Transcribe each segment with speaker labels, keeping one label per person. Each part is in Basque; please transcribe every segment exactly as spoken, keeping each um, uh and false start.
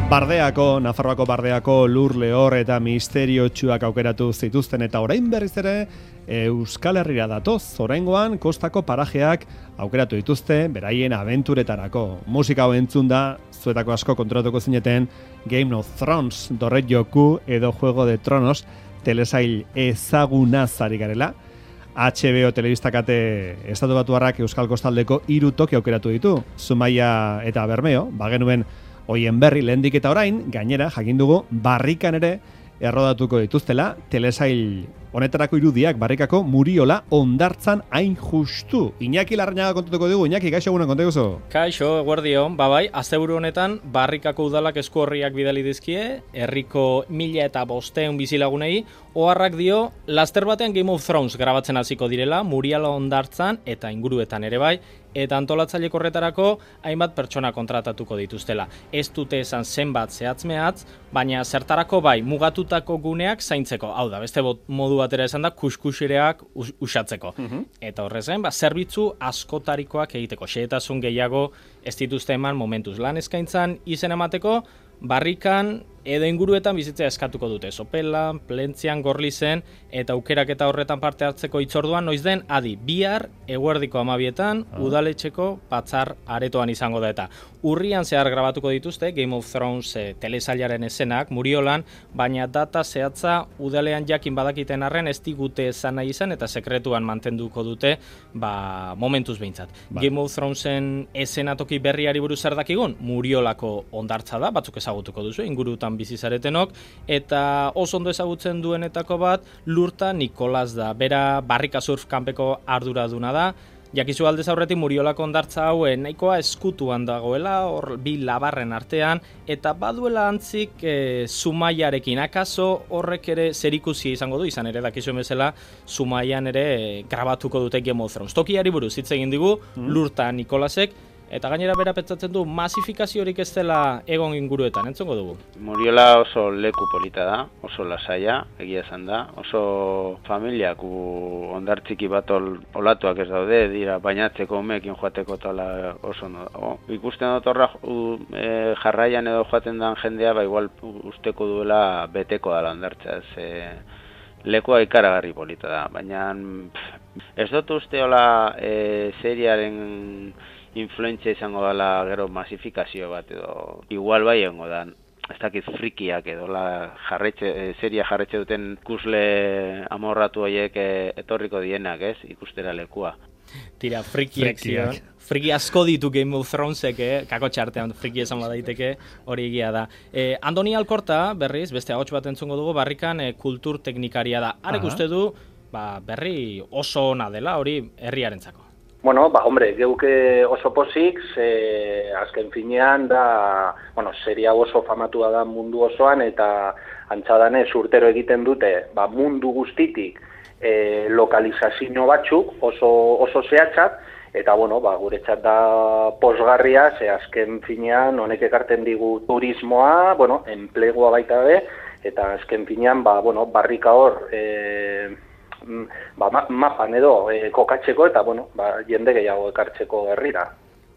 Speaker 1: Bardeako, Nafarroako Bardeako lur lehor eta misteriotsuak aukeratu zituzten eta orain berriz ere Euskal Herrira datoz. Oraingoan kostako parajeak aukeratu dituzte beraien abenturetarako. Musika hau entzun da, zuetako asko kontrolatuko zineten Game of Thrones, Dorret Joku edo Juego de Tronos telesail ezagunaz ari garela. H B O telebistakate estatu batuarrak Euskal Kostaldeko hiru toki aukeratu ditu, Zumaia eta Bermeo, bagenuen hoien berri lehendik eta orain, gainera jakin dugu Barrikan ere errodatuko dituztela, telesail honetarako irudiak Barrikako Muriola hondartzan hain justu. Iñaki Larrañaga kontatuko dugu. Iñaki, kaixo egunen kontatu zu?
Speaker 2: Kaixo, eguerdion, babai, asteburu honetan Barrikako udalak esku horriak bidali dizkie, herriko mila eta bosteun bizilagunei, oharrak dio, laster batean Game of Thrones grabatzen hasiko direla, Muriola hondartzan eta inguruetan ere bai, eta antolatzaile horretarako hainbat pertsona kontratatuko dituztela. Ez dute esan zenbat zehatz-mehatz, baina zertarako bai mugatutako guneak zaintzeko. Hau da, beste modu batera esan da, kuskusireak us usatzeko. Uh-huh. Eta horrez gain, ba, zerbitzu askotarikoak egiteko. Xehetasun gehiago ez dituzte eman momentuz lan eskaintzan izen emateko, Barrikan edo inguruetan bizitzea eskatuko dute. Sopelan, Plentzian, Gorlizen eta aukeraketa horretan parte hartzeko hitzorduan noiz den adi bihar eguerdiko hamabietan ah. udaletxeko batzar aretoan izango da eta urrian zehar grabatuko dituzte Game of Thrones e, telesailaren eszenak Muriolan, baina data zehatza udalean jakin badakiten arren ez digute esan nahi izan eta sekretuan mantenduko dute ba, momentuz behintzat. Ba. Game of Thronesen eszenatoki berriari buruz zer dakigun? Muriolako hondartza da, batzuk ezagutuko duzu, ingurutan bizizaretenok, eta oso ondo ezagutzen duenetako bat, Lurta Nikolas da. Bera Barrika Surf kanpeko arduraduna da. Jakizu aldez aurretik Muriolako hondartza hau nahikoa eskutuan dagoela, hor bi labarren artean, eta baduela antzik e, Zumaiarekin. Akaso horrek ere zerikusia izango du, izan ere dakizuen bezala, Zumaian ere e, grabatuko dute Game of Thrones. Tokiari buruz hitz egin digu, mm. Lurta Nikolasek, eta gainera bera pentsatzen du masifikaziorik ez dela egon inguruetan, entzongo dugu.
Speaker 3: Muriola oso leku polita da, oso lasaia, egia esan da, oso familiak hondartziki bat ol, olatuak ez daude, dira bainatzeko umeekin joateko tala oso no dago. Ikusten dut horra e, jarraian edo joaten dan jendea, ba igual usteko duela beteko dala hondartza, ez lekua ikaragarri polita da, baina pff, ez dut uste hola e, seriaren influentzia izango dela gero masifikazio bat edo igual bai egongo da. Ez dakit frikiak edo la jarretxe, seria jarretxe duten ikusle amorratu horiek etorriko dienak, ez? Ikustera lekua.
Speaker 2: Tira, frikiak zion. Friki asko ditu Game of Thronesek, eh? Kako txartean friki esan badaiteke, hori egia da. Eh, Andoni Alkorta, berriz, beste ahots bat entzungo dugu, Barrikan eh, kultur teknikaria da. Arek uste du, ba, berri oso ona dela, hori herriarentzako.
Speaker 4: Bueno, ba, hombre, geuke oso pozik, ze, azken finean da, bueno, seria oso famatua da mundu osoan, eta antzadanez urtero egiten dute, ba, mundu guztitik e, lokalizazio batzuk oso, oso zehatzak, eta, bueno, ba, guretzat da posgarria, ze azken finean honek ekarten digu turismoa, bueno, enplegua baita be, eta azken finean, ba, bueno, Barrika hor, e, ba, mapan edo e, kokatzeko eta bueno, ba, jende gehiago ekartzeko herrira.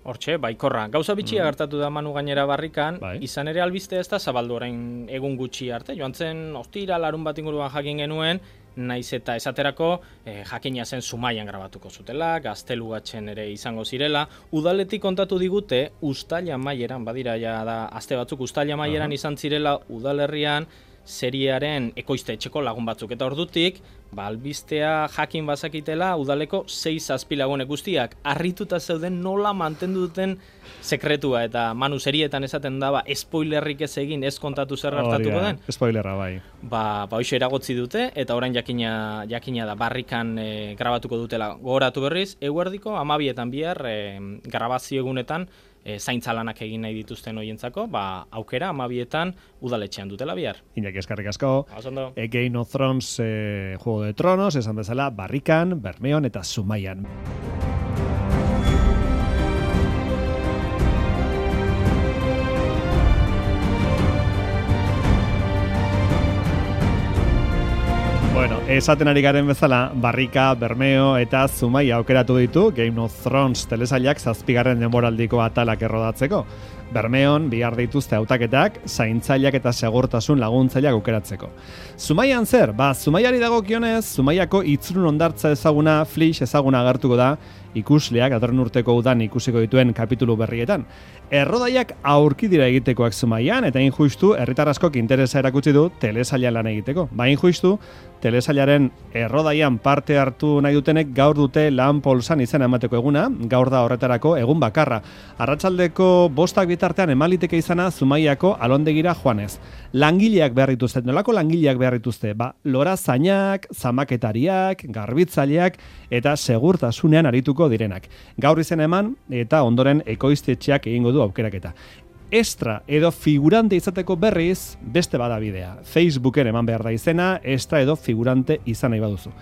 Speaker 2: Hortxe, baikorra. Gauza bitxia mm. gertatu da Manu gainera Barrikan, bai. Izan ere albiste ez da zabaldu orain egun gutxi arte. Joan zen ostira larun bat inguruan jakin genuen, naiz eta esaterako eh, jakina zen Zumaian grabatuko zutela, Gaztelugatxen ere izango zirela. Udaletik kontatu digute, Uztaila maieran, badira ja da aste batzuk, Uztaila maieran uh -huh. izan zirela udalerrian, seriaren ekoizte etxeko lagun batzuk eta ordutik, ba, albistea jakin bazakitela udaleko sei zazpi lagunek guztiak harrituta zeuden nola mantendu duten sekretua eta Manu serietan esaten da ba, spoilerrik ez egin ez kontatu zer gertatuko den.
Speaker 1: Spoilerra bai.
Speaker 2: Ba, ba hoxe eragotzi dute eta orain jakina jakina da Barrikan e, grabatuko dutela. Gogoratu berriz, eguerdiko hamabietan bihar e, grabazio egunetan E, zaintza lanak egin nahi dituzten hoientzako, ba, aukera hamabietan udaletxean dutela bihar.
Speaker 1: Iñaki eskerrik asko.
Speaker 2: Osondo.
Speaker 1: E, Game of Thrones, e, Juego de Tronos, esan bezala, Barrikan, Bermeon eta Zumaian. Bueno, esaten ari garen bezala, Barrika, Bermeo eta Zumaia aukeratu ditu Game of Thrones telesailak zazpigarren denboraldiko atalak errodatzeko. Bermeon bihar dituzte hautaketak, zaintzaileak eta segurtasun laguntzaileak aukeratzeko. Zumaian zer? Ba, Zumaiari dagokionez, Zumaiako itzulun hondartza ezaguna, Flix ezaguna agertuko da, ikusleak datorren urteko udan ikusiko dituen kapitulu berrietan. Errodaiak aurki dira egitekoak Zumaian, eta injustu herritar askok interesa erakutsi du telesaila lan egiteko. Ba, injustu, telesailaren errodaian parte hartu nahi dutenek gaur dute lan polsan izena emateko eguna, gaur da horretarako egun bakarra. Arratsaldeko bostak bitartean emaliteke izana Zumaiako alondegira joanez. Langileak behar dituzte, nolako langileak behar dituzte? Ba, lorazainak, zamaketariak, garbitzaileak eta segurtasunean arituko direnak. Gaur izena eman eta ondoren ekoiztetxeak egingo du aukeraketa. Extra edo figurante izateko berriz beste badabidea. Facebooken eman behar da izena, extra edo figurante izan nahi baduzu.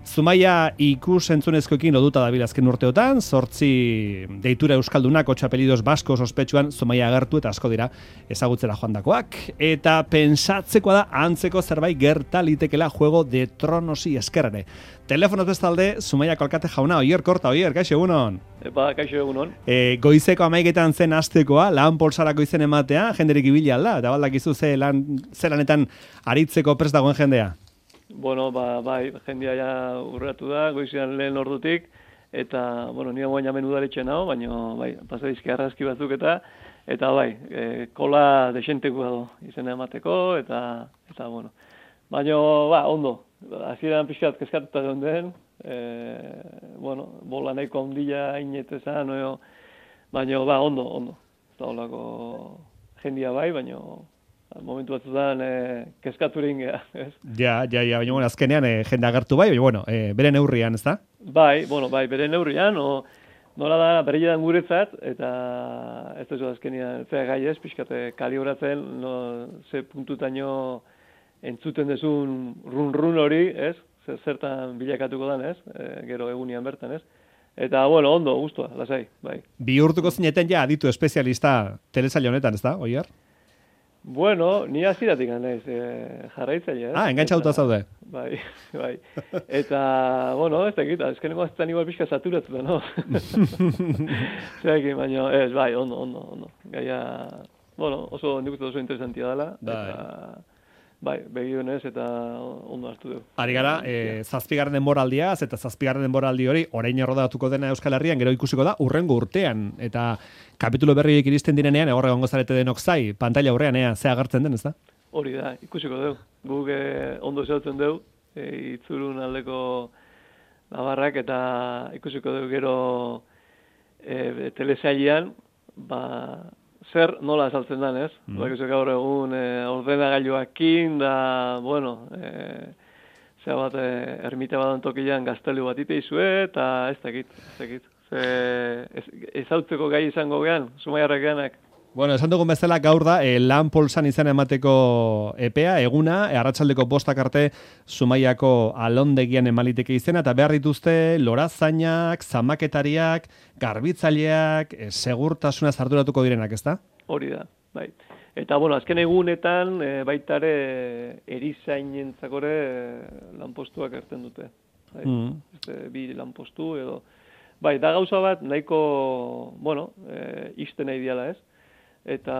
Speaker 1: Zumaia ikus entzunezkoekin loduta dabil azken urteotan, zortzi deitura euskaldunak, otxa apelidos baskos ospetsuan Zumaia agertu eta asko dira ezagutzera joandakoak. Eta pensatzekoa da antzeko zerbait gerta litekela Juego de Tronosi eskerrare. Telefonoz bestalde, Zumaiako alkate jauna, Oier Korta, Oier, kaixo egunon.
Speaker 5: Epa, kaixo egunon.
Speaker 1: E, goizeko amaiketan zen astekoa, lan polsarako izen ematea, jenderik ibili alda, eta baldakizu ze lan, ze lanetan aritzeko prest dagoen jendea.
Speaker 5: Bueno, ba, bai, jendea ja urratu da, goizean lehen ordutik, eta, bueno, nire guain jamen udaletxe nago, baina, bai, pasadizki arrazki batzuk eta, eta bai, e, kola desentekoa do, izena emateko, eta, eta, bueno, baina, ba, ondo, hasieran pixkat kezkatuta egon den, e, bueno, bola nahiko ondila inetezan, no, baina, ba, ondo, ondo, eta holako jendia bai, baina, momentu batzutan e, kezkaturin geha, ez?
Speaker 1: Ja, ja, ja, baina bueno, azkenean e, jende agertu bai, baina bueno, e, bere neurrian, ez da?
Speaker 5: Bai, bueno, bai, bere neurrian, o, nola da, bere jedan guretzat, eta ez da azkenean fea gai ez, pixkate kaliburatzen, no, ze puntutaino entzuten dezun run-run hori, ez? Zertan bilakatuko dan, ez? E, gero egunian bertan, ez? Eta, bueno, ondo, guztua, lasai, bai.
Speaker 1: Bihurtuko zineten ja aditu espezialista telesail honetan, ez da, Oier?
Speaker 5: Bueno, ni hasieratik naiz eh, jarraitzaile, eh?
Speaker 1: Ah, engantzauta zaude.
Speaker 5: Bai, bai. Eta, bueno, ez dakit, azkeneko aztean igual pixka saturatu da, no? Zekin, baina, ez, bai, ondo, ondo, ondo. Gaia, bueno, oso, nik uste oso interesantia dela.
Speaker 1: Bai.
Speaker 5: Eta, bai, begionez eta ondo hartu dugu.
Speaker 1: Ari gara, e, zazpigarren denboraldiaz, eta zazpigarren denboraldi hori, orain errodatuko dena Euskal Herrian, gero ikusiko da, urrengo urtean. Eta kapitulo berriek iristen direnean, egorre gongo zarete denok zai, pantalla aurrean, ea, ze agertzen den, ez da?
Speaker 5: Hori da, ikusiko dugu. Guk eh, ondo zautzen dugu, e, itzurun aldeko labarrak, eta ikusiko dugu gero e, telesailean, ba, zer nola azaltzen den, ez? Mm. Bakizu gaur egun e, ordenagailuakin, da, bueno, e, zera bat, e, ermite badan tokian gaztelu bat iteizue, eta ez dakit, ez dakit. Ze, ez, ezautzeko gai izango gehan, Zumaiarrak gehanak.
Speaker 1: Bueno, esan dugun bezala gaur da, e, lan polsan izan emateko epea, eguna, e, arratsaldeko bostak arte Zumaiako alondegian emaliteke izena, eta behar dituzte lorazainak, zamaketariak, garbitzaileak, e, segurtasunaz arduratuko direnak, ez da?
Speaker 5: Hori da, bai. Eta, bueno, azken egunetan, e, baitare erizainentzakore e, lanpostuak erten dute. Bai. Mm. Este, bi lanpostu edo... Bai, da gauza bat nahiko, bueno, e, iste nahi diala, ez? Eta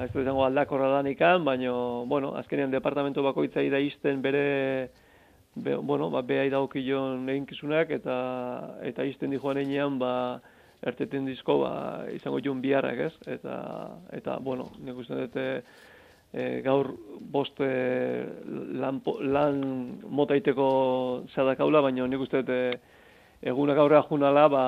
Speaker 5: ez da izango aldakorra danikan, baina, bueno, azkenean departamento bakoitzai da isten bere, be, bueno, ba, behai daukillon eginkizunak, eta eta isten di joan enean, ba, erteten dizko, ba, izango joan biharrak, ez? Eta, eta bueno, nik uste dute e, gaur boste lan, lan motaiteko zadakaula, baina nik uste dute egunak aurrera junala, ba,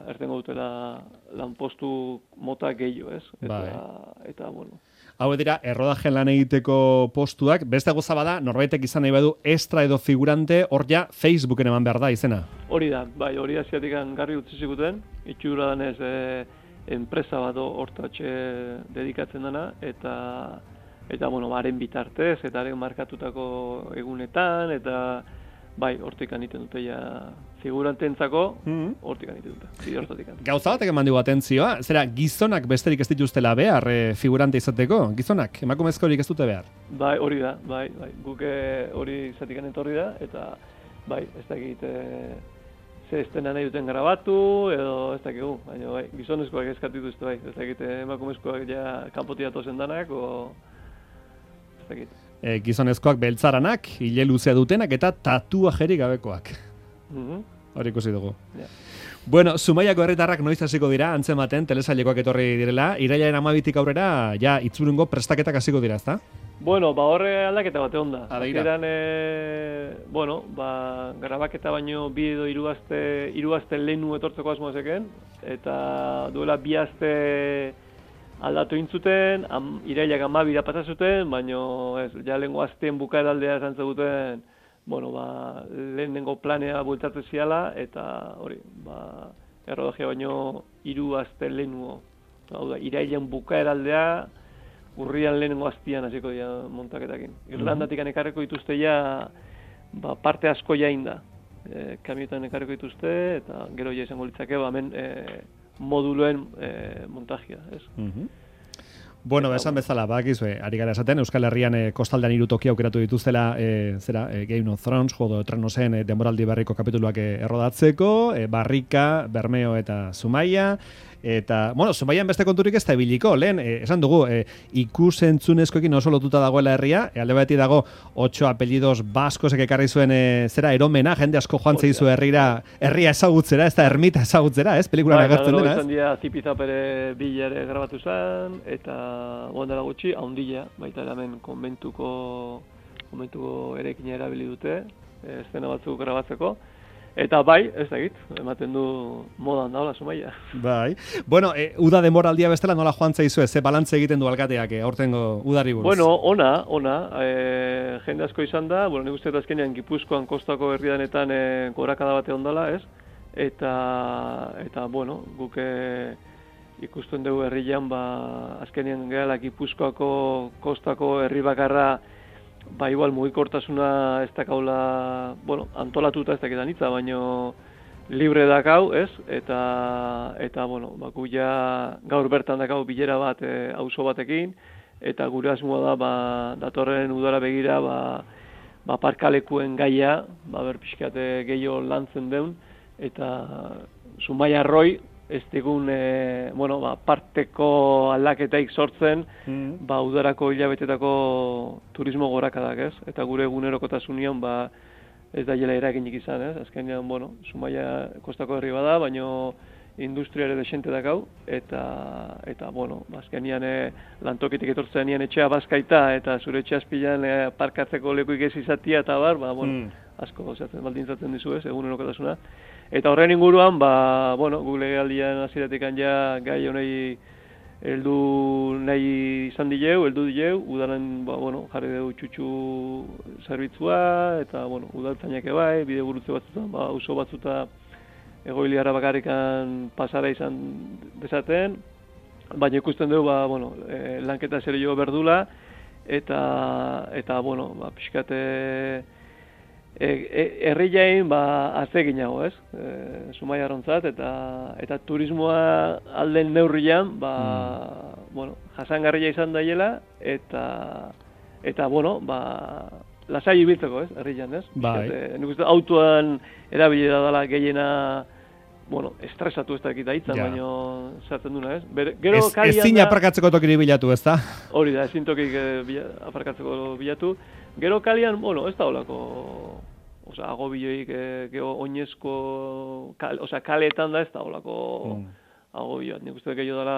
Speaker 5: ertengo dutela lanpostu mota gehiago, ez? Eta, bai. Eta, bueno.
Speaker 1: Hau dira, errodajen lan egiteko postuak, beste goza bada, norbaitek izan nahi badu extra edo figurante, hor ja Facebooken eman behar da, izena? Hori
Speaker 5: da, bai, hori asiatik garri utzi ziguten, itxura danez e, enpresa bat hortatxe dedikatzen dena, eta, eta bueno, haren bitartez, eta haren markatutako egunetan, eta bai, hortik aniten dute ja figurantentzako
Speaker 1: Mm.
Speaker 5: hortik anitu dute, bide hortatik.
Speaker 1: Gauza batek eman digu atentzioa, zera, gizonak besterik ez dituztela behar e, figurante izateko? Gizonak, emakumezkorik ez dute behar?
Speaker 5: Bai, hori da, bai, bai. Guk eh, hori izatik etorri da, eta bai, ez dakit e, ze estena nahi duten grabatu, edo ez dakigu, baina bai, gizonezkoak eskatu dituzte bai, ez dakit eh, emakumezkoak ja kanpotik datozen danak, o ez dakit.
Speaker 1: E, gizonezkoak beltzaranak, hile luzea dutenak eta tatuajerik gabekoak.
Speaker 5: Mhm.
Speaker 1: Hori ikusi dugu.
Speaker 5: Ja.
Speaker 1: Bueno, Zumaiako herritarrak noiz hasiko dira antzematen telesailekoak etorri direla, irailaren hamabitik aurrera ja itzurungo prestaketak hasiko dira, ezta?
Speaker 5: Bueno, ba horre aldaketa bate onda.
Speaker 1: Ah, begira.
Speaker 5: Hasieran e, bueno, ba grabaketa baino bi edo hiru aste, hiru aste lehenu etortzeko asmoa zeken eta duela bi aste aldatu intzuten, am, irailak hamabira pasa zuten, baino ez, ja lehengo asteen bukaeraldea esan zeguten, bueno, ba, lehenengo planea bueltatzen ziala, eta hori, ba, errodagia baino hiru aste lehenuo. Hau da, irailean bukaeraldea, urrian lehenengo astian hasiko dira montaketakin. Irlandatik ekarriko dituzte ja, ba, parte asko jain da. E, kamioetan ekarriko dituzte, eta gero ja izango litzake, ba, hemen e, moduloen e, montajia, ez?
Speaker 1: Mhm. Bueno, esan bezala, bakizue, ari gara esaten, Euskal Herrian e, kostaldean hiru toki aukeratu dituztela, e, zera, e, Game of Thrones, Juego de Tronosen e, denboraldi berriko kapituluak e, errodatzeko, e, Barrika, Bermeo eta Zumaia, eta, bueno, Zumaian beste konturik ez da ibiliko, lehen, e, esan dugu, e, ikus-entzunezkoekin oso lotuta dagoela herria, e, alde batetik dago, ocho apellidos baskosek ekarri zuen, e, zera, eromena, jende asko joan zeizu herrira, herria ezagutzera, ez da ermita ezagutzera, ez, pelikulan agertzen dena, ez?
Speaker 5: Izan dira, Zipizapere bilare grabatu zen, eta gondela gutxi, haundila, baita hemen konbentuko, konbentuko erekina erabili dute, e, eszena batzuk grabatzeko. Eta bai, ez dakit, ematen du modan daula Zumaia.
Speaker 1: Bai. Bueno, e, uda denboraldia bestela nola joan zaizu, ze balantze egiten du alkateak, e, aurtengo udari buruz?
Speaker 5: Bueno, ona, ona, e, jende asko izan da, bueno, nik uste dut azkenean Gipuzkoan kostako herridanetan e, gorakada bate ondala, ez? Eta, eta bueno, guk e, ikusten dugu herrian, ba, azkenean gehala Gipuzkoako kostako herri bakarra, ba, igual, mugikortasuna ez dakaula, bueno, antolatuta ez dakitan hitza, baino libre dakau, ez? Eta, eta bueno, ba, gu ja gaur bertan dakau bilera bat e, auzo batekin, eta gure asmoa da, ba, datorren udara begira, ba, ba parkalekuen gaia, ba, berpixkate gehiago lantzen deun, eta Zumaia Arroi, ez digun, e, bueno, ba, parteko aldaketaik sortzen, mm. ba, udarako hilabetetako turismo gorakadak, ez? Eta gure egunerokotasunean, ba, ez da jela eraginik izan, ez? Azkenean, bueno, Zumaia kostako herri bada, baino industria ere desente dakau, eta, eta bueno, azkenean e, lantokitik etortzen nian etxea bazkaita, eta zure etxe azpilan e, parkatzeko lekuik ez izatia, eta bar, ba, bueno, mm. asko zaten baldintzatzen dizu, ez? Egunerokotasuna. Eta horren inguruan, ba, bueno, gu legealdian hasieratik ja gai honei heldu nahi izan dileu, heldu dileu, udaran, ba, bueno, jarri dugu txutxu zerbitzua, eta, bueno, udaltzainak bai, bide gurutze batzutan, ba, auzo batzuta egoiliarra bakarrikan pasara izan dezaten, baina ikusten dugu, ba, bueno, e, lanketa serio berdula, eta, eta, bueno, ba, pixkate, herriain ba atzeginago, ez? E, Zumaia arrontzat eta eta turismoa alden neurrian, ba, mm. bueno, jasangarria izan daiela eta eta bueno, ba lasai ibiltzeko, ez? Herrian, ez?
Speaker 1: Bai.
Speaker 5: Nik uste autoan erabili da dela gehiena, bueno, estresatu ez dakit hitza,
Speaker 1: ja.
Speaker 5: baino sartzen duna, ez? Bere, gero
Speaker 1: ez,
Speaker 5: kalian
Speaker 1: ezin
Speaker 5: da,
Speaker 1: aparkatzeko tokiri bilatu, ez da?
Speaker 5: Hori da, ezin tokik e, aparkatzeko bilatu. Gero kalian, bueno, ez da olako, osea, agobioik, e, gero oinezko, kal, osea, kaleetan da ez da olako mm. agobioa. Nik uste gehiago dela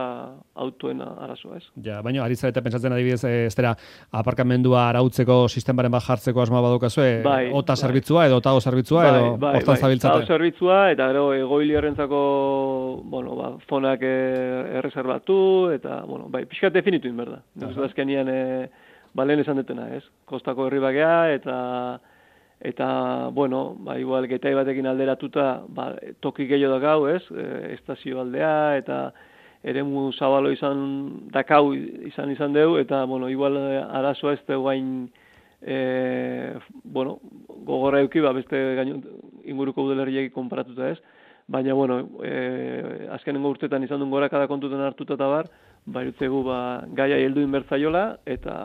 Speaker 5: autoen arazoa, ez? Ja,
Speaker 1: baina, ari zarete pentsatzen adibidez, ez dira, aparkamendua arautzeko sistemaren bat jartzeko asmoa badukazue, bai, ota bai. Zerbitzua edo otago zerbitzua bai, edo bai, hortan bai. Zabiltzate?
Speaker 5: Otago zerbitzua eta gero egoiliarrentzako, bueno, ba, fonak erreserbatu eta, bueno, bai, pixkat definitu inberda. Nik uste azkenian, e, ba, lehen esan detena, ez? Kostako herri bakea eta eta, bueno, ba, igual getai batekin alderatuta, ba, toki gehiago dakau, ez? E, estazio aldea eta eremu zabalo izan dakau izan izan deu eta, bueno, igual arazoa ez da guain, e, bueno, gogorra euki, ba, beste gaino, inguruko udalerriek konparatuta ez. Baina, bueno, e, azkenengo urtetan izan duen gorakada kontuten hartuta eta bar, bairutzegu ba, gaia heldu inbertzaiola, eta,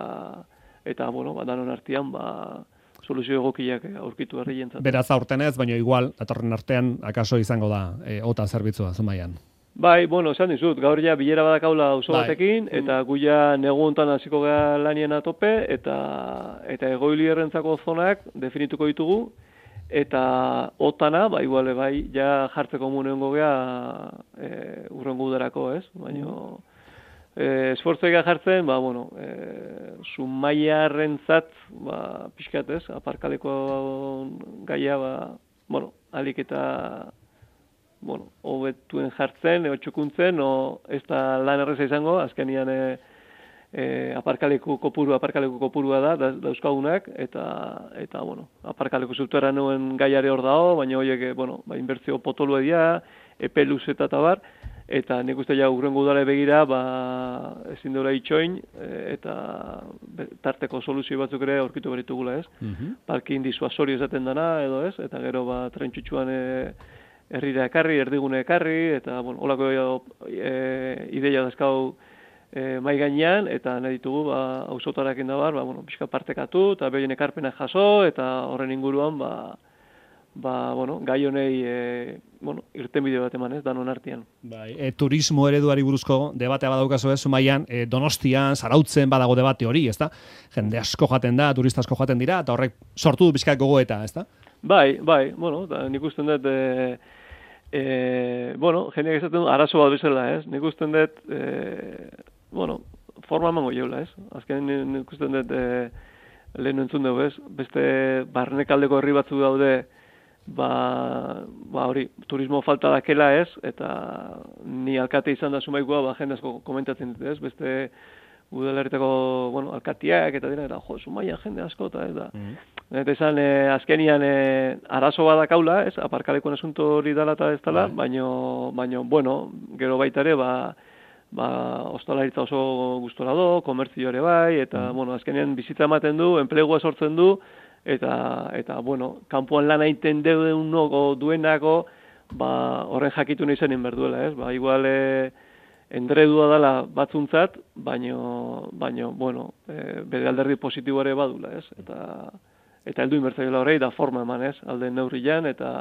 Speaker 5: eta bueno, ba, danon artean, ba, soluzio egokiak aurkitu herri jentzat.
Speaker 1: Beraz aurten ez, baina igual, datorren artean, akaso izango da, e, ota zerbitzua, Zumaian.
Speaker 5: Bai, bueno, esan dizut, gaur ja bilera badakaula oso
Speaker 1: bai.
Speaker 5: batekin, eta gu ja negu hontan hasiko gara lanien atope, eta, eta egoilierrentzako zonak definituko ditugu, eta otana, ba, iguale, bai, ja jartzeko munengo gea e, urrengo udarako, ez? Baina, e, esfortzoika jartzen, ba, bueno, e, Zumaiarrentzat, ba, pixkat, ez? Aparkaleko gaia, ba, bueno, alik eta bueno, hobetuen jartzen, o txukuntzen, o ez da lan erreza izango, azkenian e, e, aparkaleku kopuru, aparkaleku kopurua da, da dauzkagunak, eta, eta bueno, aparkaleku zutera nuen gaiare hor dago, baina horiek, bueno, ba, inbertzio potolua dira, epe luzeta eta bar, eta nik uste ja urrengo udara begira, ba, ezin dura itxoin, e, eta be, tarteko soluzio batzuk ere aurkitu beritugula, ez? Mm-hmm. Parkin disuasorio esaten dana, edo ez? Eta gero, ba, trentsutxuan e, herrira ekarri, erdigune ekarri, eta, bueno, holako e, ideia dazkau e, mai gainean, eta nahi ditugu, ba, auzotarakin da bar, ba, bueno, pixka partekatu, eta behien ekarpenak jaso, eta horren inguruan, ba, ba, bueno, gai honei, e, bueno, irten bideo bat eman ez, danon artean.
Speaker 1: Bai, e, turismo ereduari buruzko debatea badaukazu ez, Zumaian, e, Donostian, Zarautzen badago debate hori, ezta? Jende asko jaten da, turista asko jaten dira, eta horrek sortu du pixka gogoeta, ezta?
Speaker 5: Bai, bai, bueno, da, nik usten dut, e, E, bueno, jendeak esaten du, arazo bat bezala, ez? Nik usten dut, e, bueno, forma emango jeula, ez? Azken nik usten dut, e, lehen entzun dugu, ez? Beste barnekaldeko herri batzu daude, ba, ba hori, turismo falta dakela, ez? Eta ni alkate izan da Zumaikoa, ba, jende asko komentatzen dut, ez? Beste udalerritako, bueno, alkatiak, eta dira, eta, jo, Zumaia jende asko, eta ez da. Mm-hmm. Eta izan, e, azkenian e, arazo badakaula, ez, aparkalekuen asunto hori dala eta ez dala, baino, baino, bueno, gero baita ere, ba, ba, ostalaritza oso gustora do, komertzio ere bai, eta, mm. bueno, azkenian bizitza ematen du, enplegua sortzen du, eta, eta bueno, kanpoan lan egiten deunoko duenako, ba, horren jakitu nahi zenin berduela, ez, ba, igual, e, endredua dela batzuntzat, baino, baino, bueno, e, bere alderdi positiboare badula, ez, eta, eta heldu inbertzaiola horrei da forma eman, ez, alde neurrian, eta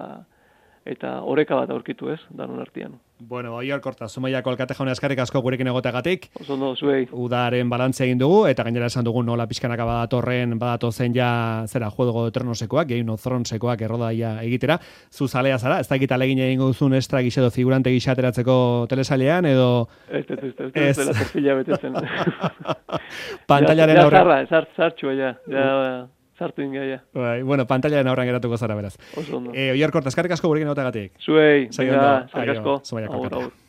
Speaker 5: eta oreka bat aurkitu, ez, danon artean.
Speaker 1: Bueno, Oior Korta, Zumaiako alkate jaune eskarrik asko gurekin egoteagatik.
Speaker 5: Oso ondo, zuei.
Speaker 1: Udaren balantzea egin dugu, eta gainera esan dugu nola pixkanaka badatorren, badatozen ja, zera, Juego de Tronosekoak, Game of Thronesekoak errodaia egitera. Zu zalea zara, ez dakit alegin egingo duzun estra gisa edo figurante gisa ateratzeko telesailean, edo...
Speaker 5: Ez, ez, ez, ez, ez, dela perfila betetzen.
Speaker 1: Pantallaren aurre...
Speaker 5: Ja, zarra, zartxua, ja, ja... Zartu ingaia.
Speaker 1: Bai, bueno, pantallaren aurrean geratuko zara beraz.
Speaker 5: Oso ondo.
Speaker 1: Eh, Oior Korta, eskarrik asko gurekin egoteagatik.
Speaker 5: Zuei, venga, eskarrik asko.
Speaker 1: Zumaiako alkate.